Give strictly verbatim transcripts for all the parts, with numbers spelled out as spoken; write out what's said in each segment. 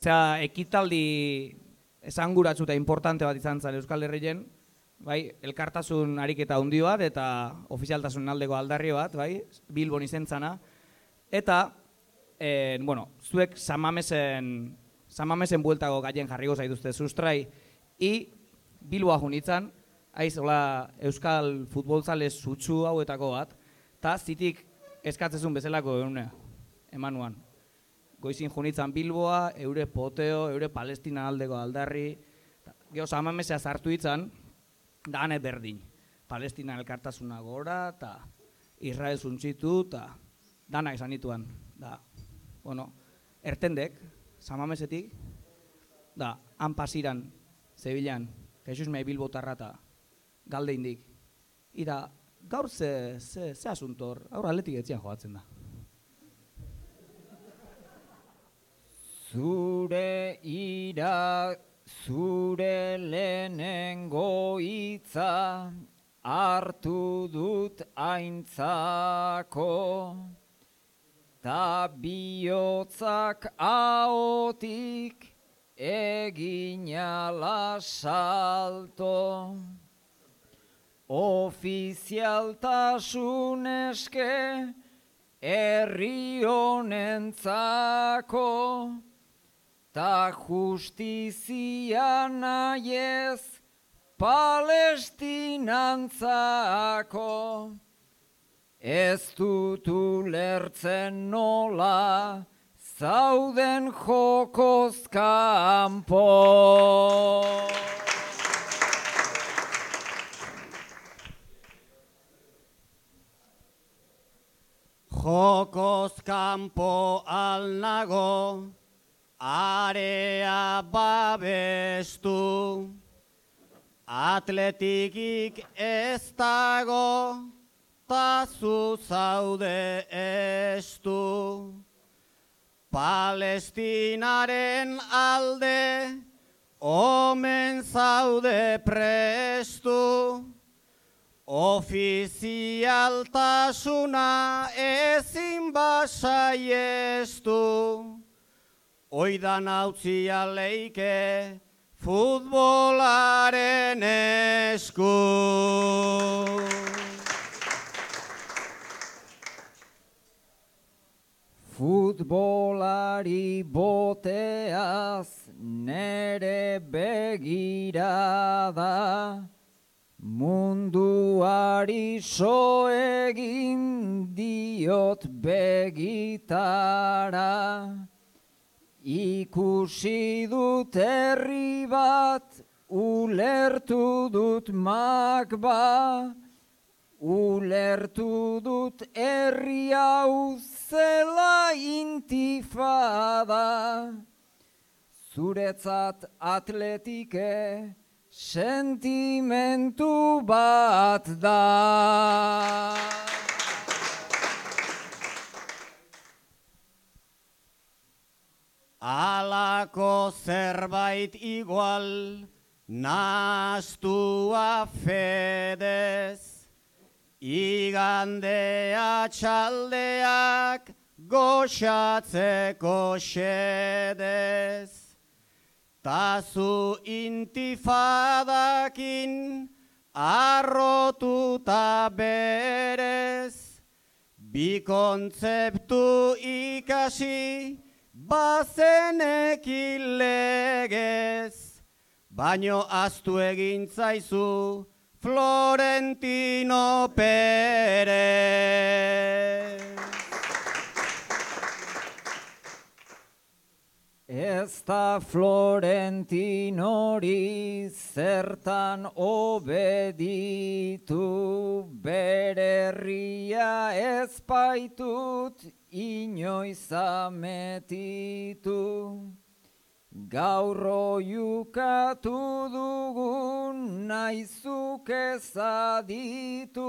Zera, ekitaldi esanguratsu eta importante bat izan zen Euskal Herrien, bai, elkartasun ariketa handi bat eta ofizialtasun aldeko aldarri bat, bai, Bilbon izen zana. Eta, eh, bueno, zuek Samamesen, Samamesen bueltako gaien jarriko zaituzte sustrai, i Bilboa junitzen, haiz, hola, Euskal futbolzale sutsu hauetako bat, eta zitik eskatzezun bezalako eune, emanuan. Goizin junitzen Bilboa, eure poteo, eure Palestina aldeko aldarri, geho Samamesea sartu itzan, da ane berdin. Palestina elkartasuna gora, eta Israel zuntzitu, eta danak esan dituan. Da, bueno, ertendek, Samamesetik, da, han pasiran, Zebilan, Jesus mei Bilbotarra eta galde indik. Ida, gaur ze, ze, ze asuntor, gaur atletik etzian joatzen da. Zure ira, zure lehenengo hitza hartu dut aintzako, ta bihotzak ahotik egin ala salto. Ofizialtasun eske herri honentzako, ta justizia nahiez Palestinantzako. Ez dut ulertzen nola zauden jokoz kanpo. Jokoz kanpo alnago, area babestu, atletikik ez dago, ta zu zaude estu. Palestinaren alde, omen zaude prestu, ofizialtasuna ezin basaiestu. Oidan hautzia leike futbolaren esku. Futbolari boteaz nere begirada, munduari so egin diot begitara. Ikusi dut herri bat, ulertu dut magba, ulertu dut herri hau zela intifada. Zuretzat atletike sentimentu bat da. Alako zerbait igual nahastua fedez, igandea txaldeak goxatzeko xedez. Tazu intifadakin arrotuta berez, bi kontzeptu ikasi bazenekin legez, baino ahaztu egin zaizu Florentino Perez. Ez da Florentinori zertan obeditu, bere herria ez baitut inoiz ametitu. Gaur oiukatu dugun naizuk ezaditu,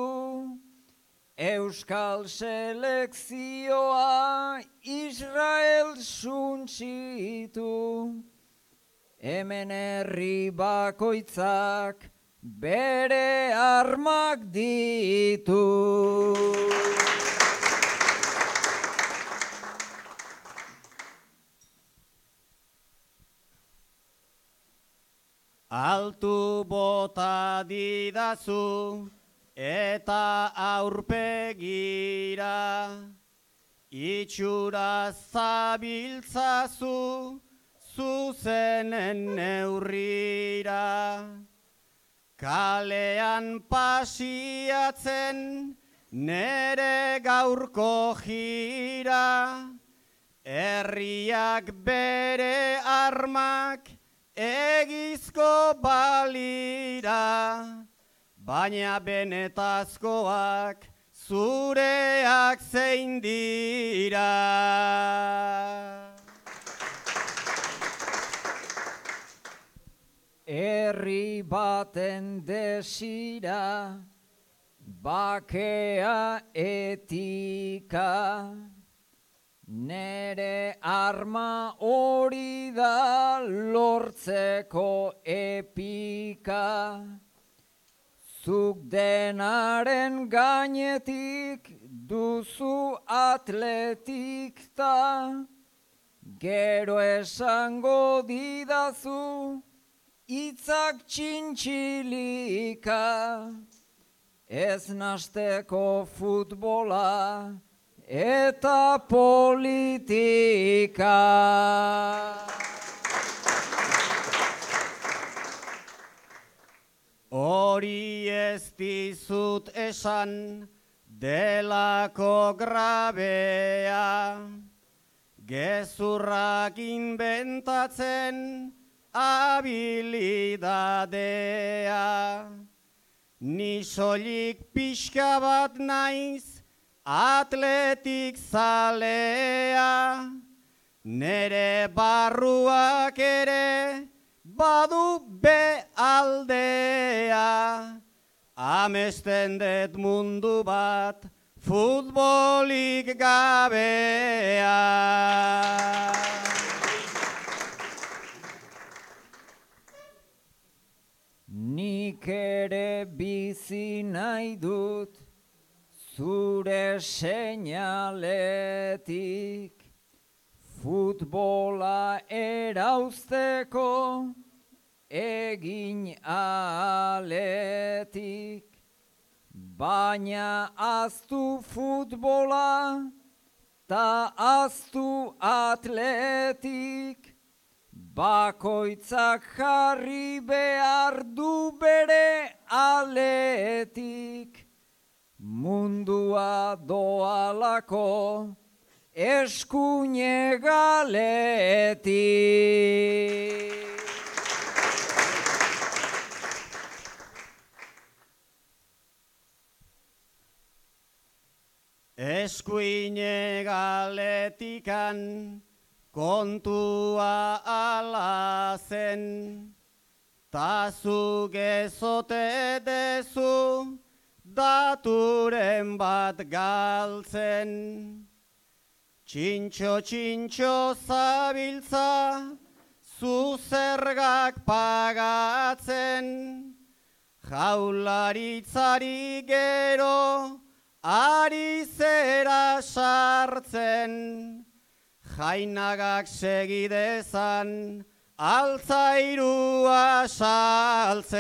Euskal selekzioa Israel suntsitu. Hemen herri bakoitzak bere armak ditu. altu bota didazu eta aurpegira, itxura zabiltzazu zuzenen neurrira. Kalean pasiatzen nere gaurko jira, herriak bere armak egizko balira, baina benetazkoak zureak zein dira. Herri baten desira, bakea etika, nere arma hori da lortzeko epika. Zuk denaren gainetik duzu atletikta, gero esango didazu itzak txintxilika. Ez nasteko futbola eta politika. Hori ez dizut esan delako grabea, gezurrak inventatzen habilidadea. Ni soilik pixka bat naiz atletik zalea, nere barruak ere badu be aldea. Amesten dut mundu bat futbolik gabea. Nik ere bizi nahi dut zure seinaletik, futbola erauzteko egin aletik, baina aztu futbola ta aztu atletik, bakoitzak jarri behar du bere aletik, mundua doalako eskuine galetik. Eskuine galetikan kontua ala zen, ta zu gezote dezu daturen bat galtzen. Txintxo, txintxo zabiltza, zu zergak pagatzen, jaularitzari gero ari zera sartzen, jainagak segidezan altzairua saltzen.